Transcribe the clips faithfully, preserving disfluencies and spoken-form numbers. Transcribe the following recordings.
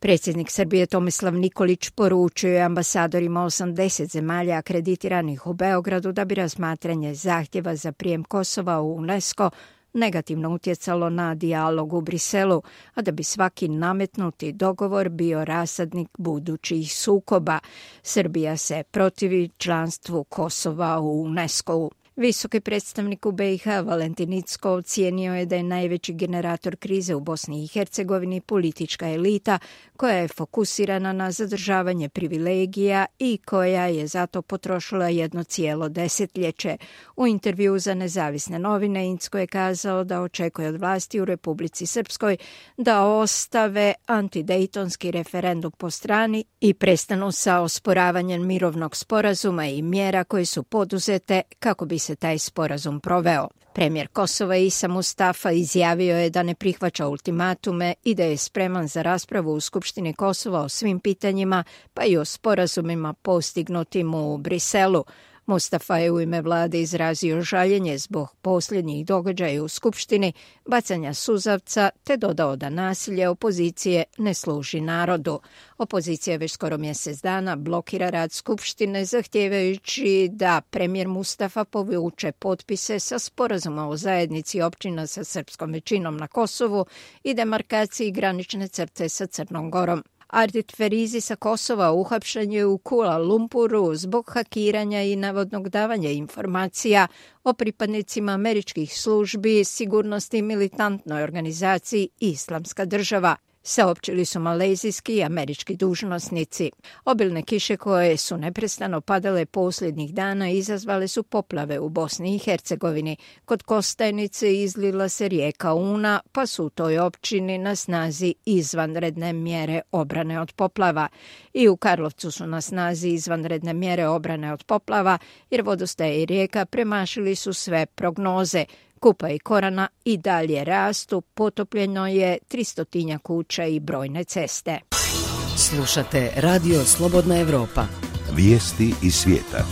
Predsjednik Srbije Tomislav Nikolić poručio je ambasadorima osamdeset zemalja akreditiranih u Beogradu da bi razmatranje zahtjeva za prijem Kosova u UNESCO negativno utjecalo na dijalog u Briselu, a da bi svaki nametnuti dogovor bio rasadnik budućih sukoba. Srbija se protivi članstvu Kosova u UNESCO-u. Visoki predstavnik u be i ha Valentin Incko ocijenio je da je najveći generator krize u Bosni i Hercegovini politička elita koja je fokusirana na zadržavanje privilegija i koja je zato potrošila jedno cijelo desetljeće. U intervjuu za nezavisne novine Incko je kazao da očekuje od vlasti u Republici Srpskoj da ostave antidejtonski referendum po strani i prestanu sa osporavanjem mirovnog sporazuma i mjera koje su poduzete kako bi se taj sporazum proveo. Premijer Kosova Isa Mustafa izjavio je da ne prihvaća ultimatume i da je spreman za raspravu u Skupštini Kosova o svim pitanjima, pa i o sporazumima postignutim u Briselu. Mustafa je u ime vlade izrazio žaljenje zbog posljednjih događaja u Skupštini, bacanja suzavca, te dodao da nasilje opozicije ne služi narodu. Opozicija već skoro mjesec dana blokira rad Skupštine zahtijevajući da premijer Mustafa povuče potpise sa sporazuma o zajednici općina sa srpskom većinom na Kosovu i demarkaciji granične crte sa Crnom Gorom. Ardit Ferizi sa Kosova uhapšen je u Kuala Lumpuru zbog hakiranja i navodnog davanja informacija o pripadnicima američkih službi sigurnosti militantnoj organizaciji Islamska država, saopćili su malezijski i američki dužnosnici. Obilne kiše koje su neprestano padale posljednjih dana izazvale su poplave u Bosni i Hercegovini. Kod Kostajnice izlila se rijeka Una, pa su u toj općini na snazi izvanredne mjere obrane od poplava. I u Karlovcu su na snazi izvanredne mjere obrane od poplava, jer vodostaje i rijeka premašili su sve prognoze. Kupa i Korana i dalje rastu, potopljeno je tristotinja kuća i brojne ceste. Slušate Radio Slobodna Evropa. Vijesti iz svijeta.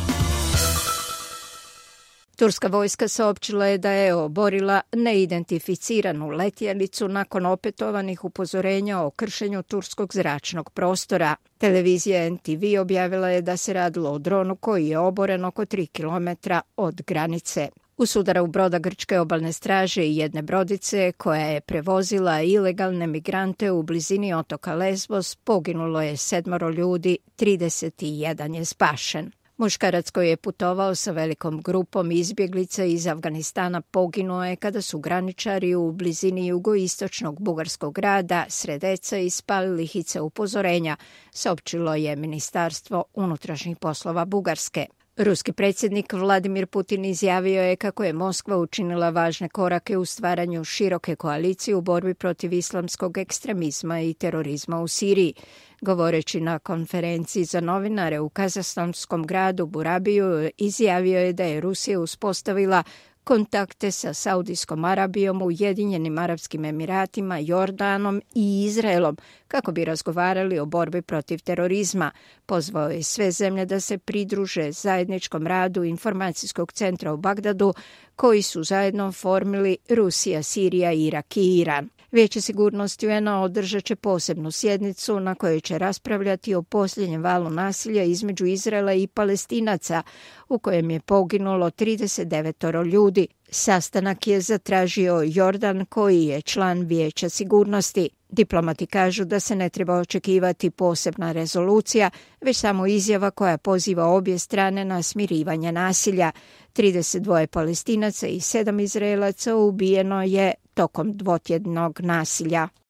Turska vojska saopćila je da je oborila neidentificiranu letjelicu nakon opetovanih upozorenja o kršenju turskog zračnog prostora. Televizija en te ve objavila je da se radilo o dronu koji je oboren oko tri kilometra od granice. U sudaru broda grčke obalne straže i jedne brodice koja je prevozila ilegalne migrante u blizini otoka Lesbos poginulo je sedmoro ljudi, trideset jedan je spašen. Muškarac koji je putovao sa velikom grupom izbjeglica iz Afganistana poginuo je kada su graničari u blizini jugoistočnog bugarskog grada Sredeca ispalili hice upozorenja, saopćilo je Ministarstvo unutrašnjih poslova Bugarske. Ruski predsjednik Vladimir Putin izjavio je kako je Moskva učinila važne korake u stvaranju široke koalicije u borbi protiv islamskog ekstremizma i terorizma u Siriji. Govoreći na konferenciji za novinare u kazahstanskom gradu Burabiju, izjavio je da je Rusija uspostavila kontakte sa Saudijskom Arabijom, Ujedinjenim Arapskim Emiratima, Jordanom i Izraelom kako bi razgovarali o borbi protiv terorizma. Pozvao je sve zemlje da se pridruže zajedničkom radu informacijskog centra u Bagdadu koji su zajedno oformili Rusija, Sirija, Irak i Iran. Vijeće sigurnosti u en a održat će posebnu sjednicu na kojoj će raspravljati o posljednjem valu nasilja između Izraela i Palestinaca, u kojem je poginulo trideset devet ljudi. Sastanak je zatražio Jordan, koji je član Vijeća sigurnosti. Diplomati kažu da se ne treba očekivati posebna rezolucija, već samo izjava koja poziva obje strane na smirivanje nasilja. trideset dva Palestinaca i sedam Izraelaca ubijeno je tokom dvotjednog nasilja.